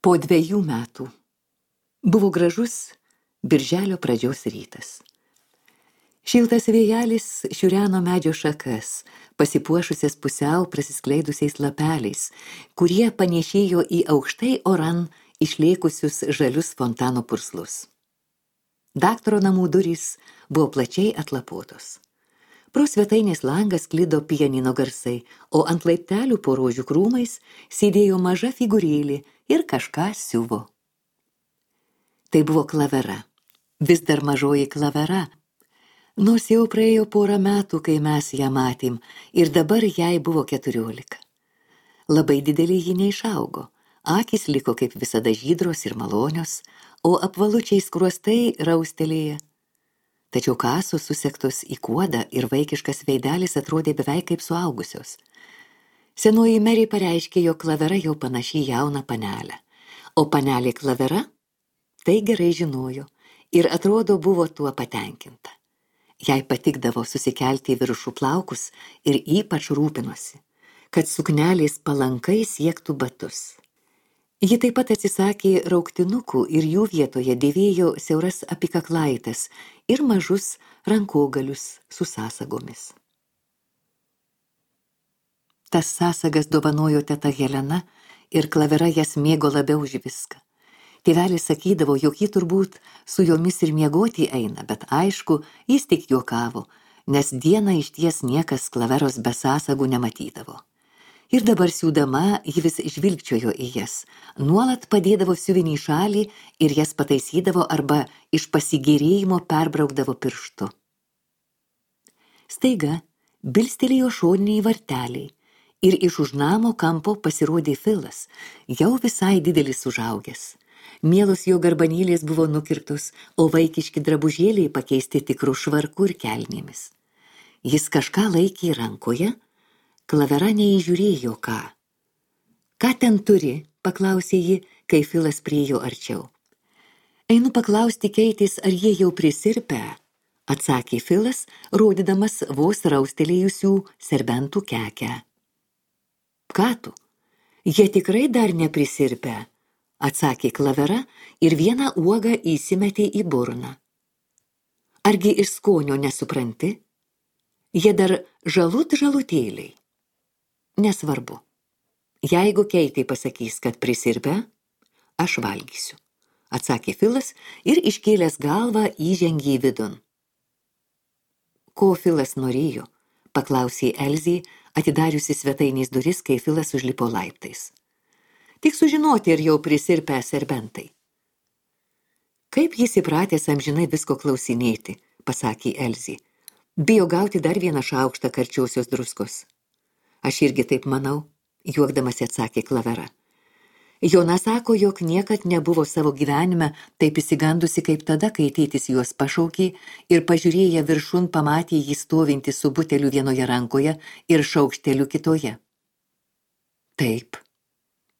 Po 2 metų. Buvo gražus birželio pradžios rytas. Šiltas vėjelis šiureno medžio šakas, pasipuošusias pusiau prasiskleidusiais lapeliais, kurie panėšėjo į aukštai oran išlėkusius žalius fontano purslus. Daktaro namų durys buvo plačiai atlapotos. Pro svetainės langą sklido pianino garsai, o ant laiptelių po rožių krūmais sėdėjo maža figūrėlė ir kažką siuvo. Tai buvo Klavera, vis dar mažoji Klavera, nors jau praėjo 4 metų, kai mes ją matėm, ir dabar jai buvo 14. Labai didelė ji neišaugo, akys liko kaip visada žydros ir malonios, o apvalučiai skruostai raustelėje. Tačiau kasos susektos į kuodą ir vaikiškas veidelis atrodė beveik kaip suaugusios. Senoji Mary pareiškė, jog Klavera jau panaši jauną panelę, o panelė Klavera tai gerai žinojo ir atrodo buvo tuo patenkinta. Jai patikdavo susikelti į viršų plaukus ir ypač rūpinosi, kad suknelės palankai siektų batus. Ji taip pat atsisakė rauktinukų ir jų vietoje dėvėjo siauras apikaklaites ir mažus rankogalius su sąsagomis. Tas sąsagas dovanojo teta Helena ir Klavera jas mėgo labiau už viską. Tėvelis sakydavo, jog ji turbūt su jomis ir miegoti eina, bet aišku, jis tik juokavo, nes dieną išties niekas Klaveros be sąsagų nematydavo. Ir dabar siūdama ji vis žvilgčiojo į jas, nuolat padėdavo siuvinį į šalį ir jas pataisydavo arba iš pasigėrėjimo perbraukdavo pirštu. Staiga bilstelėjo šoniniai varteliai ir iš už namo kampo pasirodė Filas, jau visai didelis užaugęs. Mielos jo garbanėlės buvo nukirptos, o vaikiški drabužėliai pakeisti tikrų švarkų ir kelnėmis. Jis kažką laikė rankoje, Klavera neįžiūrėjo ką. Ką ten turi, paklausė ji, kai Filas priėjo arčiau. Einu paklausti Keitės, ar jie jau prisirpę, atsakė Filas, rodydamas vos raustelėjusių serbentų kekę. Ką tu? Jie tikrai dar neprisirpę, atsakė Klavera ir vieną uogą įsimetė į burną. Argi iš skonio nesupranti? Jie dar žalutėliai. Nesvarbu. Jeigu Keitė pasakys, kad prisirpę, aš valgysiu, atsakė Filas ir iškėlęs galvą įžengė į vidun. Ko Filas norėjo, paklausė Elzė, atidariusi svetainės duris, kai Filas užlipo laiptais. Tik sužinoti, ar jau prisirpę serbentai. Kaip jis įpratęs amžinai visko klausinėti, pasakė Elzė. Bijo gauti dar vieną šaukštą karčiosios druskos. Aš irgi taip manau, juokdamas atsakė Klavera. Jona sako, jog niekad nebuvo savo gyvenime taip įsigandusi kaip tada, kai tėtis juos pašaukė ir pažiūrėję viršun pamatė jį stovintį su buteliu vienoje rankoje ir šaukšteliu kitoje. Taip,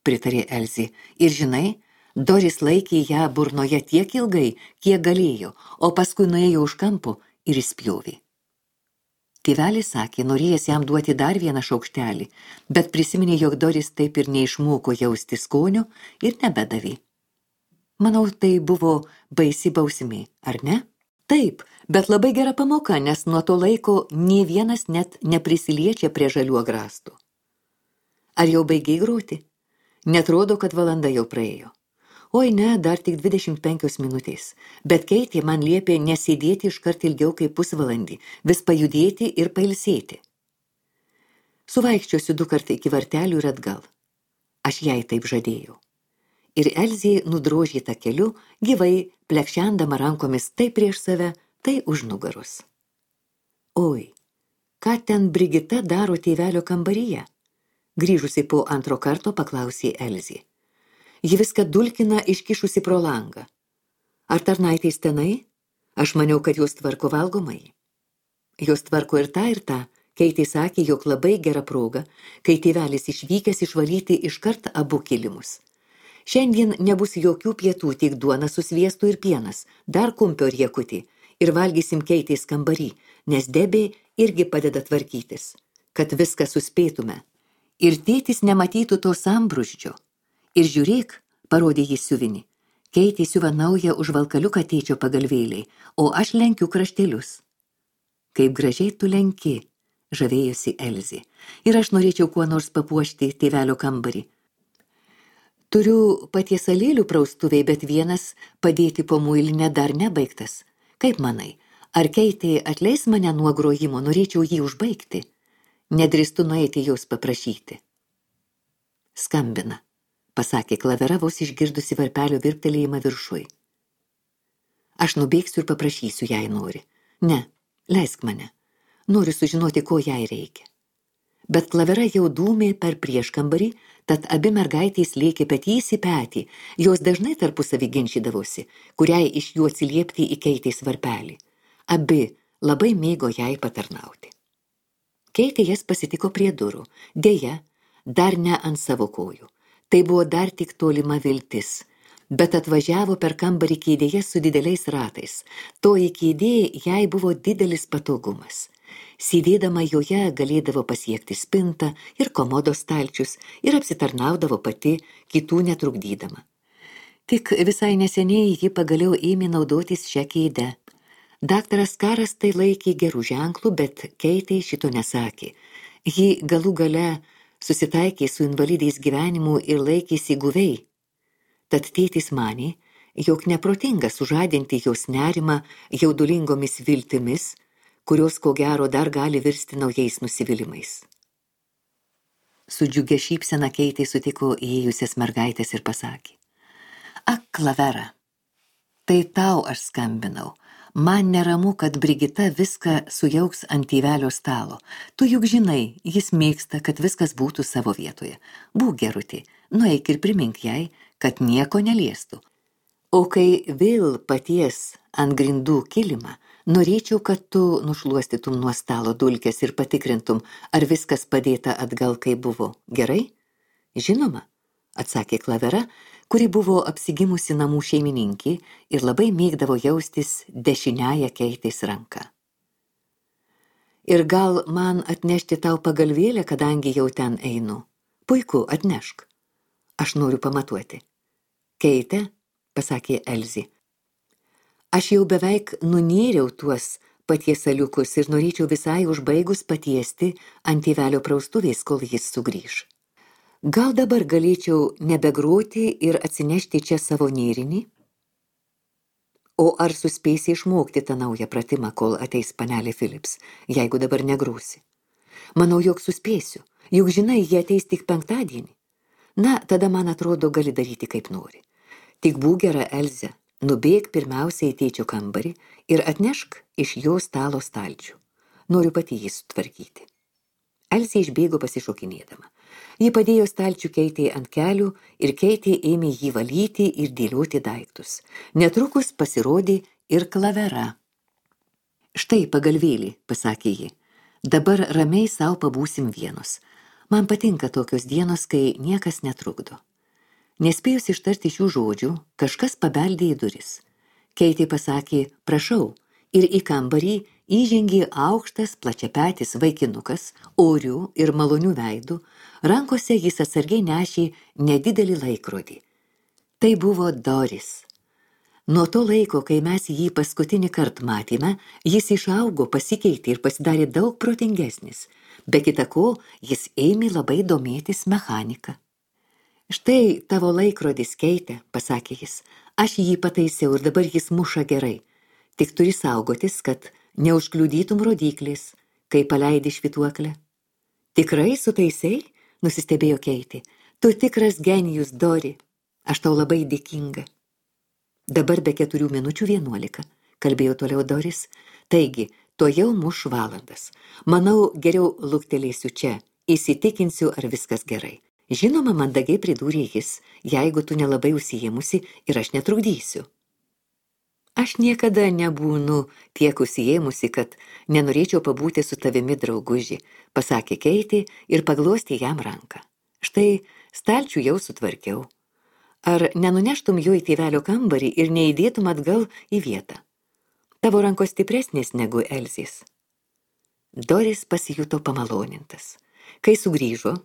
pritarė Elzė, ir žinai, Doris laikė ją burnoje tiek ilgai, kiek galėjo, o paskui nuėjo už kampo ir įspjovė. Tėvelis sakė, norėjęs jam duoti dar vieną šaukštelį, bet prisiminė, jog Doris taip ir neišmoko jausti skonio ir nebedavė. Manau, tai buvo baisi bausmė, ar ne? Taip, bet labai gera pamoka, nes nuo to laiko nė vienas net neprisiliečia prie žalių agrastų. Ar jau baigei groti? Netrodo, kad valanda jau praėjo. Oi ne, dar tik 25 minutės, bet Keitė man liepė nesėdėti iškart ilgiau kaip pusvalandį, vis pajudėti ir pailsėti. Suvaikščiosiu 2 kartai iki vartelių ir atgal. Aš jai taip žadėjau. Ir Elzė nudrožė tą keliu, gyvai plekšendama rankomis tai prieš save, tai už nugaros. Oi, ką ten Brigita daro tėvelio kambaryje? Grįžusi po 2 karto paklausė Elzė. Ji viską dulkina iškišusi pro langą. Ar tarnaitės tenai? Aš maniau, kad jos tvarko valgomai. Jos tvarko ir tą, Keitė sakė, jog labai gera proga, kai tėvelis išvykęs išvalyti iškart abu kilimus. Šiandien nebus jokių pietų, tik duona su sviestu ir pienas, dar kumpio riekutį, ir valgysim Keitės kambarį, nes Debė irgi padeda tvarkytis, kad viską suspėtume. Ir tėtis nematytų to sambrūzdžio. Ir žiūrėk, parodė jį siuvinį. Keitė siuva naują užvalkaliuką tėčio pagalvėliai, o aš lenkiu kraštelius. Kaip gražiai tu lenki, žavėjosi Elzė. Ir aš norėčiau kuo nors papuošti tėvelio kambarį. Turiu patiesalėlių praustuviai, bet vienas padėti po muilinę dar nebaigtas. Kaip manai, ar Keitė atleis mane nuo grojimo, norėčiau jį užbaigti? Nedrįstu nueiti jos paprašyti. Skambina, pasakė Klavera, vos išgirdusi varpelio virptelėjimą viršui. Aš nubėgsiu ir paprašysiu, jei nori. Ne, leisk mane. Noriu sužinoti, ko jai reikia. Bet Klavera jau dūmė per prieškambarį, tad abi mergaitės lėkė petys į petį. Jos dažnai tarpusavį ginčydavosi, kuriai iš jų atsiliepti į Keitės varpelį. Abi labai mėgo jai patarnauti. Keitė jas pasitiko prie durų. Deja, dar ne ant savo kojų. Tai buvo dar tik tolima viltis. Bet atvažiavo per kambarį kėdėje su dideliais ratais. Toji kėdė jai buvo didelis patogumas. Sėdėdama joje galėdavo pasiekti spintą ir komodos stalčius ir apsitarnaudavo pati, kitų netrukdydama. Tik visai neseniai ji pagaliau ėmė naudotis šią kėdę. Daktaras Karas tai laikė gerų ženklų, bet Keitė šito nesakė. Ji galų gale susitaikė su invalidais gyvenimu ir laikėsi guviai. Tad tėtis manė, jog neprotinga sužadinti jos nerimą jaudulingomis viltimis, kurios ko gero dar gali virsti naujais nusivylimais. Su džiugia šypsena Keitė sutiko įėjusias mergaitės ir pasakė: Ak, Klavera, tai tau aš skambinau. Man neramu, kad Brigita viską sujauks ant tėvelio stalo. Tu juk žinai, jis mėgsta, kad viskas būtų savo vietoje. Būk gerutė, nueik ir primink jai, kad nieko neliestų. O kai vėl paties ant grindų kilimą, norėčiau, kad tu nušluostytum nuo stalo dulkes ir patikrintum, ar viskas padėta atgal, kaip buvo. Gerai? Žinoma, atsakė Klavera, kuri buvo apsigimusi namų šeimininkė ir labai mėgdavo jaustis dešiniąją Keitės ranką. Ir gal man atnešti tau pagalvėlę, kadangi jau ten einu? Puiku, atnešk. Aš noriu pamatuoti. Keite, pasakė Elzė, aš jau beveik nunėriau tuos patiesaliukus ir norėčiau visai užbaigus patiesti ant tėvelio praustuvės, kol jis sugrįž. Gal dabar galėčiau nebegroti ir atsinešti čia savo nėrinį? O ar suspėsi išmokti tą naują pratimą, kol ateis panelė Philips, jeigu dabar negrūsi? Manau, jog suspėsiu, juk žinai, jie ateis tik penktadienį. Na, tada man atrodo, gali daryti kaip nori. Tik būk gera, Elze, nubėk pirmiausia į tėčio kambarį ir atnešk iš jo stalo stalčių. Noriu pati jį sutvarkyti. Elzė išbėgo pasišokinėdama. Ji padėjo stalčių Keitei ant kelių ir Keitė ėmė jį valyti ir dėlioti daiktus. Netrukus pasirodė ir Klavera. Štai pagalvėlį, pasakė ji. Dabar ramiai sau pabūsim vienos. Man patinka tokios dienos, kai niekas netrukdo. Nespėjus ištarti šių žodžių, kažkas pabeldė į duris. Keitė pasakė, prašau, ir į kambarį įžengė aukštas plačiapetis vaikinukas, orių ir malonių veidų, rankose jis atsargiai nešė nedidelį laikrodį. Tai buvo Doris. Nuo to laiko, kai mes jį paskutinį kartą matėme, jis išaugo, pasikeitė ir pasidarė daug protingesnis. Be kita ko, jis ėmė labai domėtis mechanika. Štai tavo laikrodis, Keite, pasakė jis. Aš jį pataisiau ir dabar jis muša gerai. Tik turi saugotis, kad neužkliudytum rodyklės, kai paleidi švytuoklę. Tikrai sutaisei? Nusistebėjo Keitė. Tu tikras genijus, Dori. Aš tau labai dėkinga. Dabar be 11:04, kalbėjo toliau Doris. Taigi, tuojau muš valandas. Manau, geriau luktelėsiu čia, įsitikinsiu, ar viskas gerai. Žinoma, mandagiai pridūrė jis, jeigu tu nelabai užsiėmusi ir aš netrukdysiu. Aš niekada nebūnu tiek užsiėmusi, kad nenorėčiau pabūti su tavimi, drauguži, pasakė Keitė ir paglostė jam ranką. Štai stalčių jau sutvarkiau. Ar nenuneštum jo į tėvelio kambarį ir neįdėtum atgal į vietą? Tavo rankos stipresnės negu Elzės. Doris pasijuto pamalonintas. Kai sugrįžo,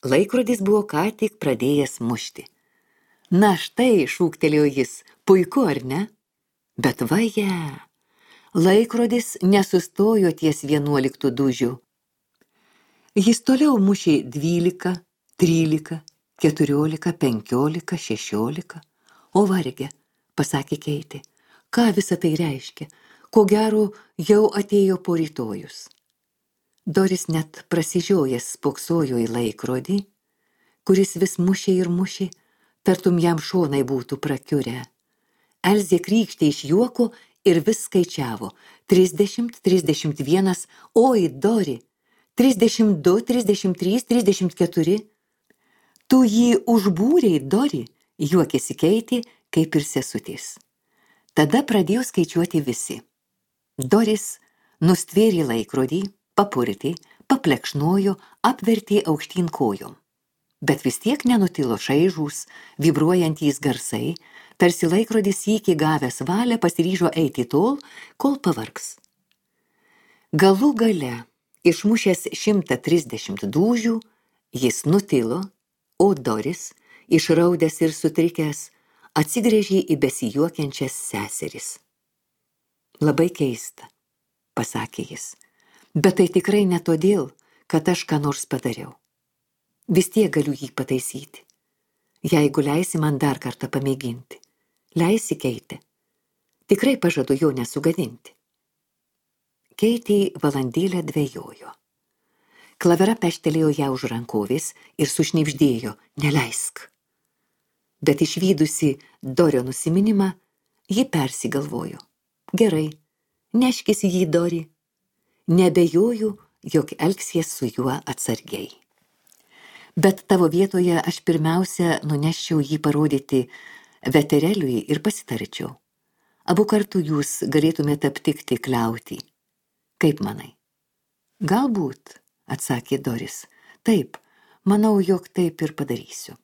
laikrodis buvo ką tik pradėjęs mušti. Na štai, šūktelėjo jis, puiku ar ne? Bet vaje, laikrodis nesustojo ties 11 dūžių. Jis toliau mušė 12, 13, 14, 15, 16. O varge, pasakė Keitė, ką visa tai reiškia? Ko gero, jau atėjo porytojus. Doris net prasižiojęs spoksojo į laikrodį, kuris vis mušė ir mušė, tartum jam šonai būtų prakiurę. Elzė krykštė iš juoko ir vis skaičiavo. 30, 31, oi, Dori, 32, 33, 34. Tu jį užbūrei, Dori, juokėsi Keitė, kaip ir sesutės. Tada pradėjo skaičiuoti visi. Doris nustvėrė laikrodį, papurtė, paplekšnojo, apvertė aukštyn kojom. Bet vis tiek nenutilo šaižūs, vibruojantys garsai, tarsi laikrodis sykį gavęs valią pasiryžo eiti tol, kol pavargs. Galų gale, išmušęs 130 dūžių, jis nutilo, o Doris, išraudęs ir sutrikęs, atsigręžė į besijuokiančias seseris. Labai keista, pasakė jis, bet tai tikrai ne todėl, kad aš ką nors padariau. Vis tiek galiu jį pataisyti. Jeigu leisi man dar kartą pamėginti. Leisi, Keitė. Tikrai pažadu jo nesugadinti. Keitė valandėlę dvejojo. Klavera peštelėjo ją už rankovės ir sušnibždėjo, neleisk. Bet išvydusi Dorio nusiminimą, ji persigalvojo. Gerai, neškis jį, Dori. Nebejoju, jog elgsies su juo atsargiai. Bet tavo vietoje aš pirmiausia nuneščiau jį parodyti vetereliui ir pasitarčiau. Abu kartu jūs galėtumėte aptikti kliautį. Kaip manai? Galbūt, atsakė Doris. Taip, manau, jog taip ir padarysiu.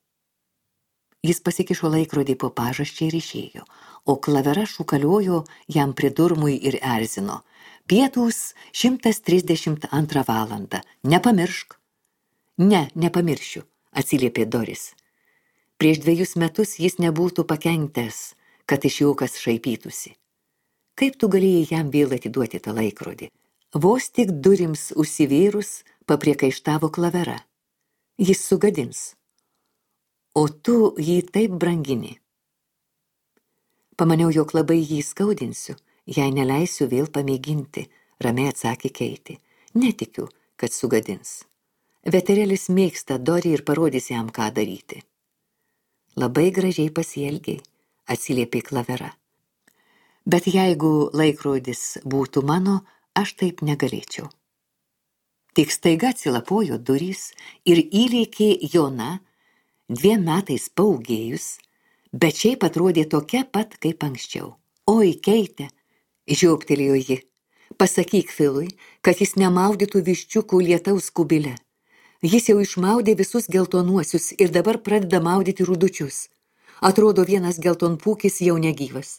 Jis pasikišo laikrodį po pažasčią ir išėjo, o klavera šūkaliojo jam prie durmui ir erzino. Pietūs 132 valandą. Nepamiršk. Ne, nepamiršiu, atsiliepė Doris. Prieš 2 metus jis nebūtų pakentęs, kad iš jo kas šaipytųsi. Kaip tu galėjai jam vėl atiduoti tą laikrodį? Vos tik durims užsivėrus, papriekaištavo klavera. Jis sugadins. O tu jį taip brangini. Pamaniau, jog labai jį skaudinsiu, jei neleisiu vėl pamėginti, ramiai atsakė Keitė. Netikiu, kad sugadins. Veterelis mėgsta Dorį ir parodys jam, ką daryti. Labai gražiai pasielgiai, atsiliepė klavera. Bet jeigu laikrodis būtų mano, aš taip negalėčiau. Tik staiga atsilapojo durys ir įlėkė Jona, 2 metais paūgėjus, bet šiaip atrodė tokia pat kaip anksčiau. Oi, Keitė, žioptelėjo ji, pasakyk Filui, kad jis nemaudytų viščiukų lietaus kubile. Jis jau išmaudė visus geltonuosius ir dabar pradeda maudyti rudučius. Atrodo, vienas geltonpūkis jau negyvas.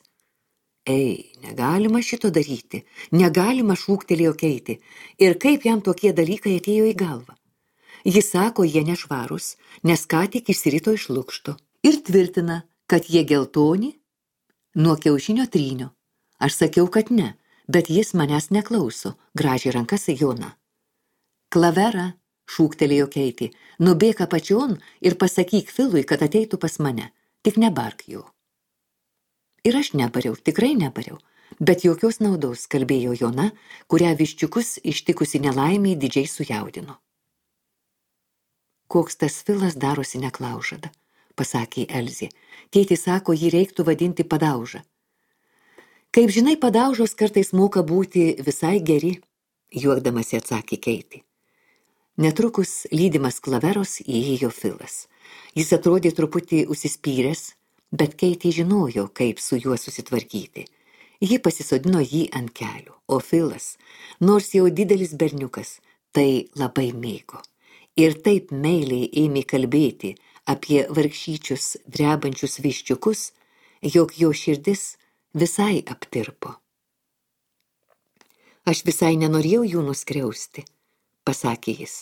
Ei, negalima šito daryti, negalima, šūktelėjo Keitė. Ir kaip jam tokie dalykai atėjo į galvą? Jis sako, jie nešvarūs, nes ką tik išsirito iš lukšto. Ir tvirtina, kad jie geltoni nuo kiaušinio trynio. Aš sakiau, kad ne, bet jis manęs neklauso, gražiai rankas Jona. Klavera, šūktelėjo Keitė, nubėk apačion ir pasakyk Filui, kad ateitų pas mane, tik nebark jo. Ir aš nebariau, tikrai nebariau, bet jokios naudos, kalbėjo Jona, kurią viščiukus ištikusi nelaimiai didžiai sujaudino. Koks tas Filas darosi neklaužada, pasakė Elzė. Tėtė sako, jį reiktų vadinti padauža. Kaip žinai, padaužos kartais moka būti visai geri, juokdamasi atsakė Keitė. Netrukus, lydimas klaveros, įėjo Filas. Jis atrodė truputį užsispyręs, bet Keitė žinojo, kaip su juo susitvarkyti. Ji pasisodino jį ant kelių, o Filas, nors jau didelis berniukas, tai labai mėgo. Ir taip meiliai ėmė kalbėti apie vargšyčius drebančius viščiukus, jog jo širdis visai aptirpo. Aš visai nenorėjau jų nuskriausti, pasakė jis,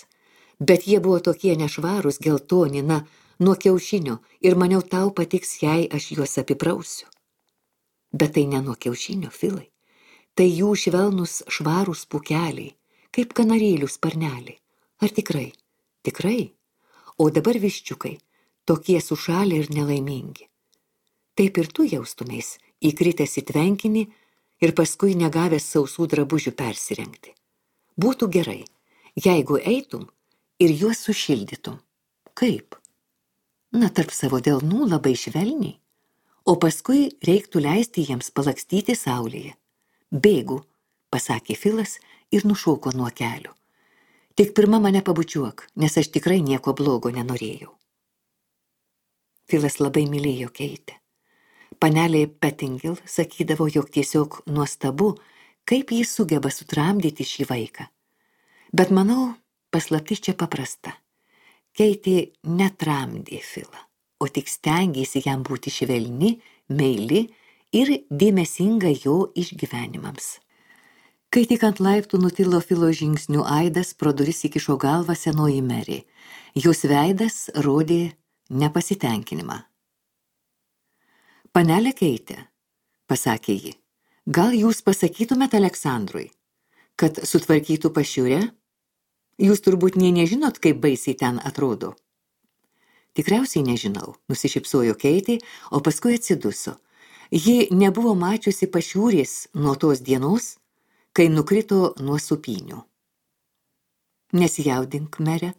bet jie buvo tokie nešvarūs, geltoni, na, nuo kiaušinio ir maniau tau patiks, jei aš juos apiprausiu. Bet tai ne nuo kiaušinio, Filai. Tai jų švelnus švarūs pūkeliai, kaip kanarėlių sparneliai. Ar tikrai? Tikrai? O dabar viščiukai, tokie sušalę ir nelaimingi. Taip ir tu jaustumės, įkritęs į tvenkinį ir paskui negavęs sausų drabužių persirengti. Būtų gerai, jeigu eitum ir juos sušildytum. Kaip? Na, tarp savo delnų labai švelniai, o paskui reiktų leisti jiems palakstyti saulėje. Bėgu, pasakė Filas ir nušoko nuo kelių. Tik pirma mane pabučiuok, nes aš tikrai nieko blogo nenorėjau. Filas labai mylėjo Keitę. Panelė Pettingil sakydavo, jog tiesiog nuostabu, kaip jis sugeba sutramdyti šį vaiką. Bet manau, paslaptis čia paprasta. Keitė netramdė Filą, o tik stengėsi jam būti švelni, meili ir dėmesinga jo išgyvenimams. Kai tik ant laiptų nutilo Filo žingsnių aidas, pro duris įkišo galvą senoji Mary. Jos veidas rodė nepasitenkinimą. Panelė Keitė, pasakė ji, gal jūs pasakytumėt Aleksandrui, kad sutvarkytų pašiūrę? Jūs turbūt nežinot, kaip baisiai ten atrodo. Tikriausiai nežinau, nusišypsojo Keitė, o paskui atsiduso. Ji nebuvo mačiusi pašiūrės nuo tos dienos, kai nukrito nuo supynių. Nesijaudink, mere,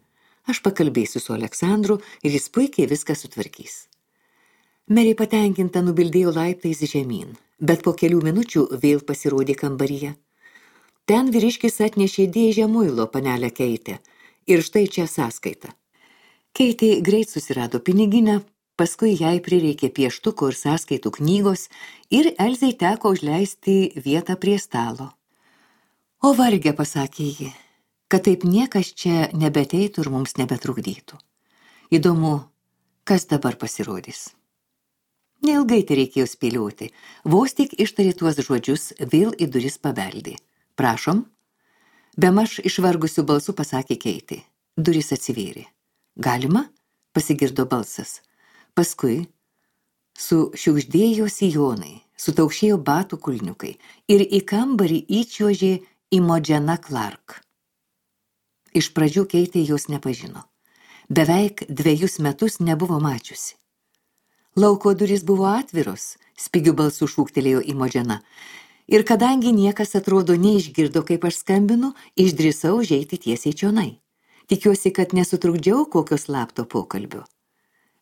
aš pakalbėsiu su Aleksandru ir jis puikiai viską sutvarkys. Merė patenkinta nubildėjo laiptais žemyn, bet po kelių minučių vėl pasirodė kambaryje. Ten vyriškis atnešė dėžę muilo, panelę Keitę, ir štai čia sąskaita. Keitė greit susirado piniginę, paskui jai prireikė pieštuko ir sąskaitų knygos ir Elzei teko užleisti vietą prie stalo. O varge, pasakė ji, kad taip niekas čia nebeteitų ir mums nebetrukdytų. Įdomu, kas dabar pasirodys. Neilgai tai reikėjo spėlioti, vos tik ištarė tuos žodžius, vėl į duris pabeldė. Prašom? Bemaž išvargusiu balsu pasakė Keitė. Duris atsivėrė. Galima? Pasigirdo balsas. Paskui sušiugždėjo sijonai, sutaukšėjo batų kulniukai ir į kambarį įčiuožė Imogen Clark. Iš pradžių Keitė jos nepažino. Beveik 2 metus nebuvo mačiusi. Lauko durys buvo atviros, spigiu balsu šūktelėjo Imogen. Ir kadangi niekas atrodo neišgirdo, kaip aš skambinu, išdrįsau užeiti tiesiai čionai. Tikiuosi, kad nesutrukdžiau kokio slapto pokalbio.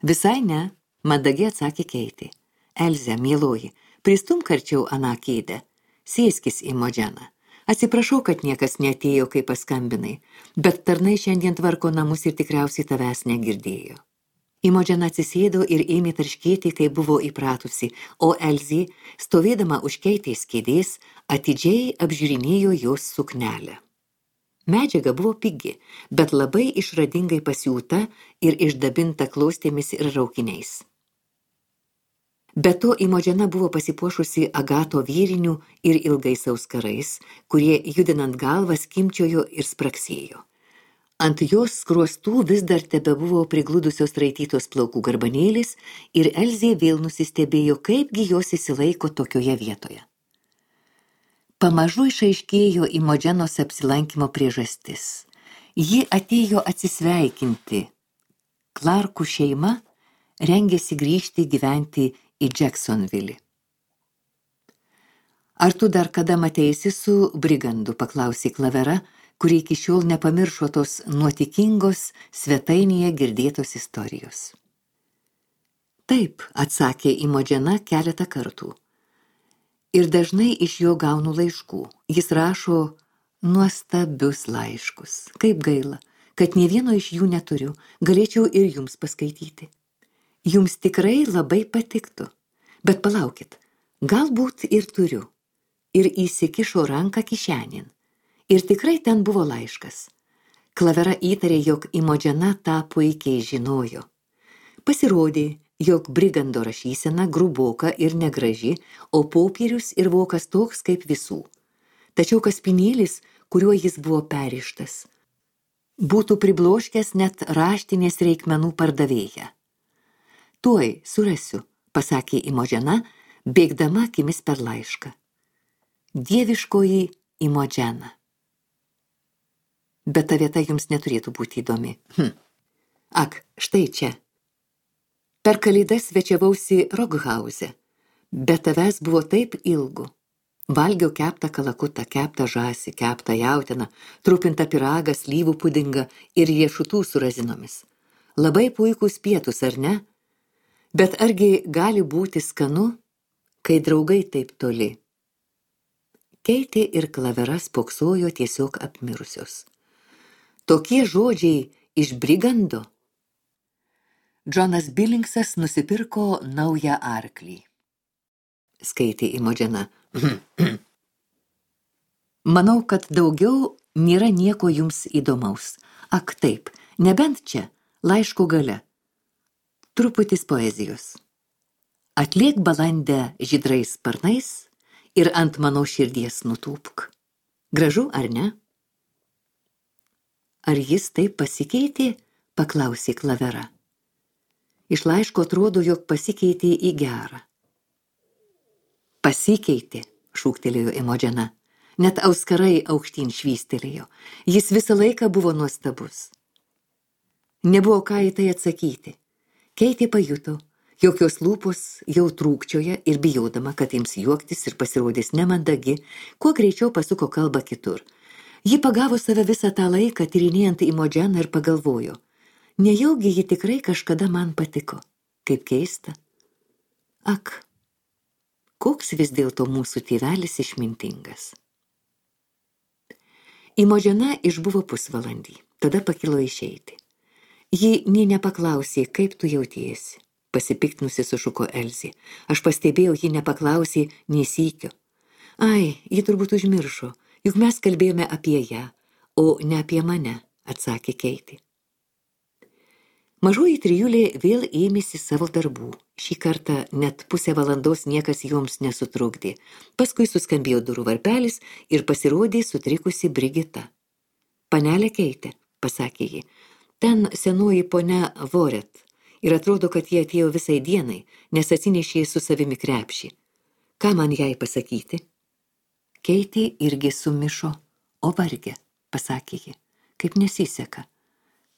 Visai ne, mandagiai atsakė Keitė. Elze, mieloji, pristumk arčiau aną kėdę. Sėskis, Imogen. Atsiprašau, kad niekas neatėjo, kai paskambinai, bet tarnai šiandien tvarko namus ir tikriausiai tavęs negirdėjo. Imogen atsisėdo ir ėmė tarškėti, kai buvo įpratusi, o Elzė, stovėdama už Keitės kėdės, atidžiai apžiūrinėjo jos suknelę. Medžiaga buvo pigi, bet labai išradingai pasiūta ir išdabinta klostėmis ir raukiniais. Be to, Imogen buvo pasipuošusi agato vyrinių ir ilgais auskarais, kurie judinant galvą skimbčiojo ir spraksėjo. Ant jos skruostų vis dar tebebuvo prigludusios raitytos plaukų garbanėlis ir Elzė vėl nusistebėjo, kaipgi jos įsilaiko tokioje vietoje. Pamažu išaiškėjo Imogenos apsilankymo priežastis. Ji atėjo atsisveikinti. Clarkų šeima rengėsi grįžti gyventi į Jacksonville. Ar tu dar kada mateisi su brigandu, paklausė Klavera, kuri iki šiol nepamiršo tos nuotikingos svetainėje girdėtos istorijos. Taip, atsakė Imogen keletą kartų. Ir dažnai iš jo gaunu laiškų. Jis rašo nuostabius laiškus. Kaip gaila, kad nė vieno iš jų neturiu, galėčiau ir jums paskaityti. Jums tikrai labai patiktų, bet palaukit, galbūt ir turiu. Ir įsikišo ranką kišenin. Ir tikrai ten buvo laiškas. Klavera įtarė, jog Imogen tą puikiai žinojo. Pasirodė, jog brigando rašysena gruboka ir negraži, o popierius ir vokas toks kaip visų. Tačiau kaspinėlis, kuriuo jis buvo perištas, būtų pribloškęs net raštinės reikmenų pardavėją. Tuoj surasiu, pasakė Imodžena, bėgdama akimis per laišką. Dieviškoji Imodžena. Bet ta vieta jums neturėtų būti įdomi. Ak, štai čia. Per Kalėdas svečiavausi Roghauze, bet tavęs buvo taip ilgu. Valgiau keptą kalakutą, keptą žąsį, keptą jautieną, trupintą pyragą, slyvų pudingą ir riešutų su razinomis. Labai puikūs pietus, ar ne? Bet argi gali būti skanu, kai draugai taip toli? Keitė ir Klavera spoksojo tiesiog apmirusios. Tokie žodžiai iš brigando. Džonas Billingsas nusipirko naują arklį. Skaitė Imodžena. Manau, kad daugiau nėra nieko jums įdomaus. Ak taip, nebent čia, laiško gale. Truputis poezijos. Atliek balandę žydrais sparnais ir ant mano širdies nutūpk. Gražu, ar ne? Ar jis taip pasikeitė? Paklausė Klavera. Iš laiško atrodo, jog pasikeitė į gerą. Pasikeitė, šūktelėjo Imodžena. Net auskarai aukštyn švystelėjo. Jis visą laiką buvo nuostabus. Nebuvo ką į tai atsakyti. Keitė pajuto, jog jos lūpos jau trūkčioja ir bijodama, kad ims juoktis ir pasirodys nemandagi, kuo greičiau pasuko kalbą kitur. Ji pagavo save visą tą laiką, tyrinėjant Imodženą ir pagalvojo. Nejaugi ji tikrai kažkada man patiko. Kaip keista. Ak, koks vis dėlto mūsų tėvelis išmintingas. Imodžena išbuvo pusvalandį, tada pakilo išeiti. Ji nė nepaklausė, kaip tu jautiesi. Pasipiktinusi sušuko Elzė. Aš pastebėjau, ji nepaklausė nei sykio. Ai, ji turbūt užmiršo, juk mes kalbėjome apie ją, o ne apie mane, atsakė Keitė. Mažoji trijulė vėl ėmėsi savo darbų. Šį kartą net pusę valandos niekas joms nesutrukdė. Paskui suskambėjo durų varpelis ir pasirodė sutrikusi Brigita. Panelė Keitė, pasakė ji, ten senoji ponia Voret ir atrodo, kad jie atėjo visai dienai, nes atsinešė su savimi krepšį. Ką man jai pasakyti? Keitė irgi sumišo, o varge, pasakė ji, kaip nesiseka.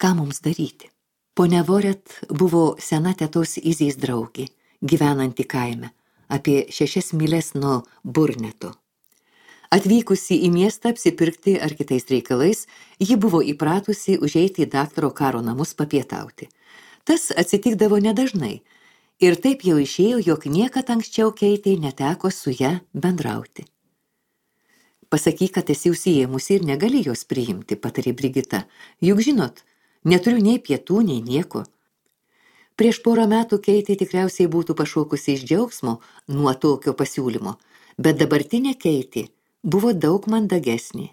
Ką mums daryti? Ponia Voret buvo sena tetos Izės draugė, gyvenanti kaime, apie 6 myles nuo Burneto. Atvykusi į miestą apsipirkti ar kitais reikalais, ji buvo įpratusi užeiti į daktaro Karo namus papietauti. Tas atsitikdavo nedažnai ir taip jau išėjo, jog niekad anksčiau Keitė neteko su ja bendrauti. Pasakyk, kad esi užsiėmusi ir negali jos priimti, patarė Brigita. Juk žinot, neturiu nei pietų, nei nieko. Prieš porą metų Keitė tikriausiai būtų pašokusi iš džiaugsmo nuo tokio pasiūlymo, bet dabartinė Keitė buvo daug mandagesnė.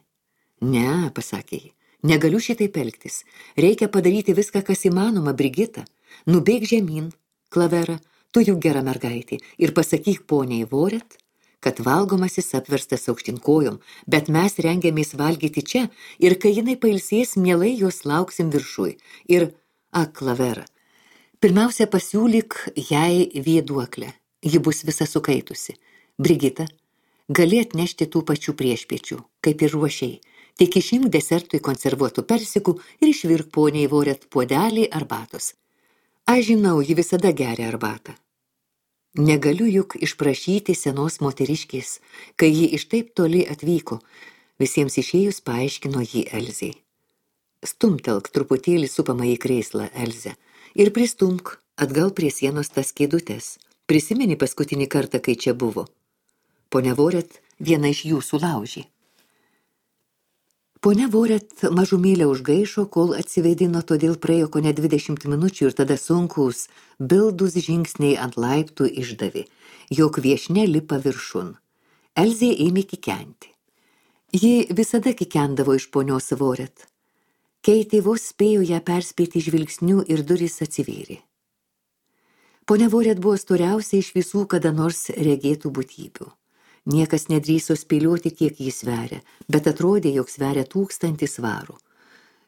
Ne, pasakė ji, negaliu šitaip elgtis. Reikia padaryti viską, kas įmanoma, Brigita. Nubėk žemyn, Klavera, tu juk gera mergaitė, ir pasakyk poniai Voret, kad valgomasis apverstas aukštyn kojom, bet mes rengiamės valgyti čia, ir kai jinai pailsės, mielai jos lauksim viršui. Ir, Klavera, pirmiausia pasiūlyk jai vėduoklę. Ji bus visa sukaitusi. Brigita, gali atnešti tų pačių priešpiečių, kaip ir ruošiai. Tik išimk desertui konservuotų persikų ir išvirk poniai Voret puodelį arbatos. Aš žinau, ji visada geria arbatą. Negaliu juk išprašyti senos moteriškės, kai ji iš taip toli atvyko. Visiems išėjus paaiškino jį Elzei. Stumtelk truputėlį supamą į krėslą, Elze, ir pristumk atgal prie sienos tas kėdutes. Prisimeni paskutinį kartą, kai čia buvo. Ponia Voret viena iš jų sulaužė. Ponia Voret mažumėlę užgaišo, kol atsiveidino, todėl praėjo kone 20 minučių ir tada sunkus, bildus žingsniai ant laiptų išdavė, jog viešnia lipa viršun. Elzė ėmė kikenti. Ji visada kikendavo iš ponios Voret. Keitė vos spėjo ją perspėti žvilgsniu ir durys atsivėrė. Ponia Voret buvo storiausia iš visų kada nors regėtų būtybių. Niekas nedrįso spėlioti, kiek jis sveria, bet atrodė, jog sveria 1000 svarų.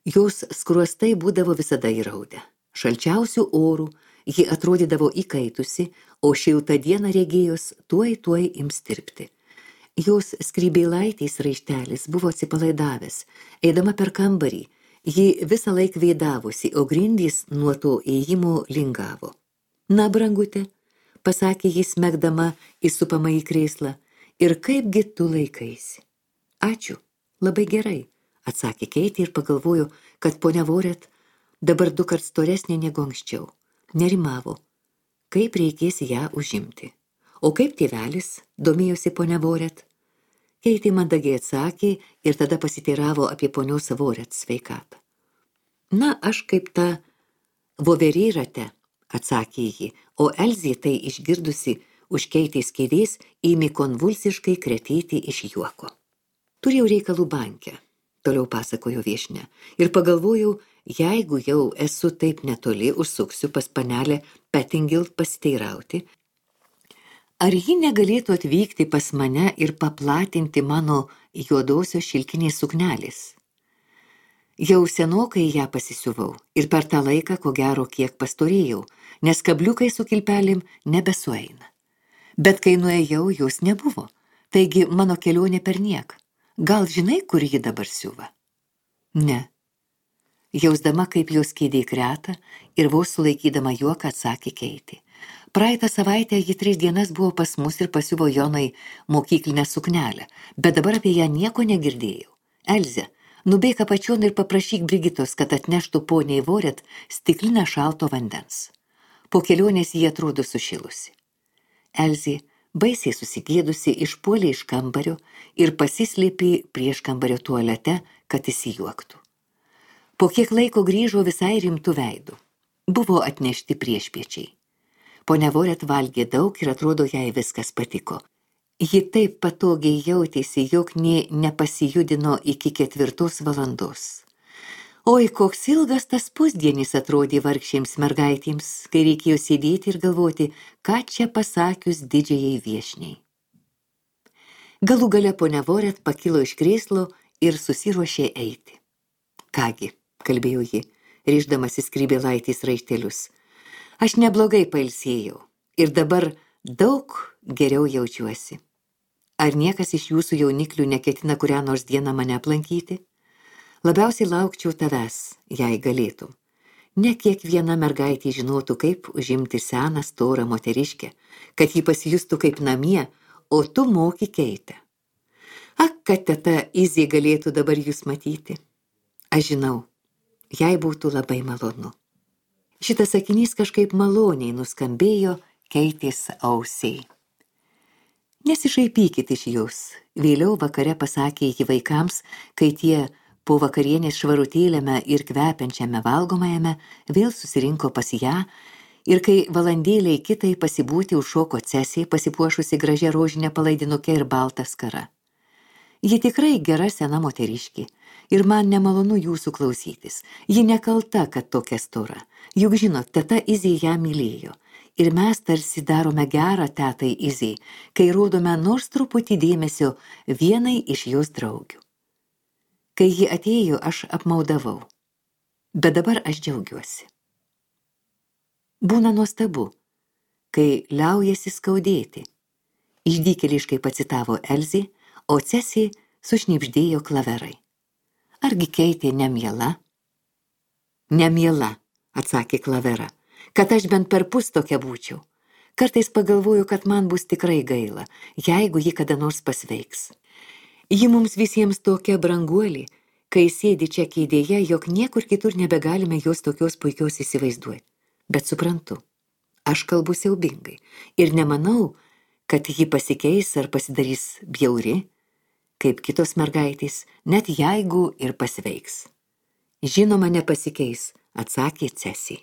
Jos skruostai būdavo visada įraudę. Šalčiausių orų Ji atrodydavo įkaitusi, o šiltą dieną regėjos tuoj ims tirpti. Jos skrybėlaitės raištelis buvo atsipalaidavęs. Eidama per kambarį, ji visą laiką vėdavosi, o grindys nuo to ėjimo lingavo. Na, brangute, pasakė jis smegdama įsupamą į krėslą, ir kaipgi tu laikaisi? Ačiū, labai gerai, atsakė Keitė ir pagalvojo, kad ponia Voret dabar 2 kart storesnė negu anksčiau. Nerimavo, kaip reikės ją užimti. O kaip tėvelis, domėjosi ponia Voret. Keitė mandagiai atsakė ir tada pasiteiravo apie ponios Voret sveikatą. Na, aš kaip ta voverė rate, atsakė ji, o Elzė tai išgirdusi už Keitės kėdės ėmė konvulsiškai kretėti iš juoko. Turėjau reikalų banke, toliau pasakojo viešnia, ir pagalvojau, jeigu jau esu taip netoli, užsuksiu pas panelę Pettingilt pasiteirauti, ar ji negalėtų atvykti pas mane ir paplatinti mano juodosios šilkinės suknelės? Jau senokai ją pasisiuvau ir per tą laiką, ko gero, kiek pastorėjau, nes kabliukai su kilpelėm nebesueina. Bet kai nuėjau, jos nebuvo, taigi mano kelionė perniek. Gal žinai, kur ji dabar siuva? Ne. Jausdama, kaip jos kėdė kreta ir vos sulaikydama juoką, atsakė Keitė. Praeitą savaitę ji 3 dienas buvo pas mus ir pasiuvo Jonai mokyklinę suknelę, bet dabar apie ją nieko negirdėjau. Elze, nubėk apačion ir paprašyk Brigitos, kad atneštų poniai Voret stiklinę šalto vandens. Po kelionės ji atrodo sušilusi. Elzė, baisiai susigėdusi, išpuolė iš kambario ir pasislėpė prieš kambario tualete, kad įsijuoktų. Po kiek laiko grįžo visai rimtų veidų. Buvo atnešti priešpiečiai. Ponia Voret valgė daug ir atrodo, jai viskas patiko. Ji taip patogiai jautėsi, jog nė nepasijudino iki 4 valandos. Oi, koks ilgas tas pusdienis atrodė vargšėms mergaitėms, kai reikėjo sėdėti ir galvoti, ką čia pasakius didžiajai viešniai. Galų gale ponia Voret pakilo iš krėslo ir susiruošė eiti. Kągi, kalbėjo ji, rišdamasi skrybėlaitės raištelius. Aš neblogai pailsėjau ir dabar daug geriau jaučiuosi. Ar niekas iš jūsų jauniklių neketina kurią nors dieną mane aplankyti? Labiausiai laukčiau tavęs, jei galėtum. Ne kiekviena mergaitė žinotų, kaip užimti seną storą moteriškę, kad ji pasijustų kaip namie, o tu moki Keitę. Ak, kad teta Izė galėtų dabar jūs matyti. Aš žinau, jai būtų labai malonu. Šitas sakinys kažkaip maloniai nuskambėjo Keitės ausiai. Nesišaipykit iš jūs, vėliau vakare pasakė ji vaikams, kai tie po vakarienės švarutėlėme ir kvepiančiame valgomajame vėl susirinko pas ją ir kai valandėliai kitai pasibūti užšoko Cesė, pasipuošusi gražia rožinė palaidinuke ir balta skara. Ji tikrai gera sena moteriškė ir man nemalonu jūsų klausytis. Ji nekalta, kad tokia stora. Juk žinot, teta Izė ją mylėjo ir mes tarsi darome gerą tetai Izė, kai rodome nors truputį dėmesio vienai iš jos draugių. Kai ji atėjo, aš apmaudavau, bet dabar aš džiaugiuosi. Būna nuostabu, kai liaujasi skaudėti. Išdykėliškai pacitavo Elzė, o Cesė sušnibždėjo Klaverai. Argi Keitė nemiela? Nemiela, atsakė Klavera, kad aš bent perpus tokia būčiau. Kartais pagalvoju, kad man bus tikrai gaila, jeigu ji kada nors pasveiks. Ji mums visiems tokia branguolė, kai sėdi čia kėdėje, jog niekur kitur nebegalime jos tokios puikios įsivaizduoti. Bet suprantu, aš kalbu siaubingai ir nemanau, kad ji pasikeis ar pasidarys bjauri, kaip kitos mergaitės, net jeigu ir pasveiks. Žinoma, nepasikeis, atsakė Cesė.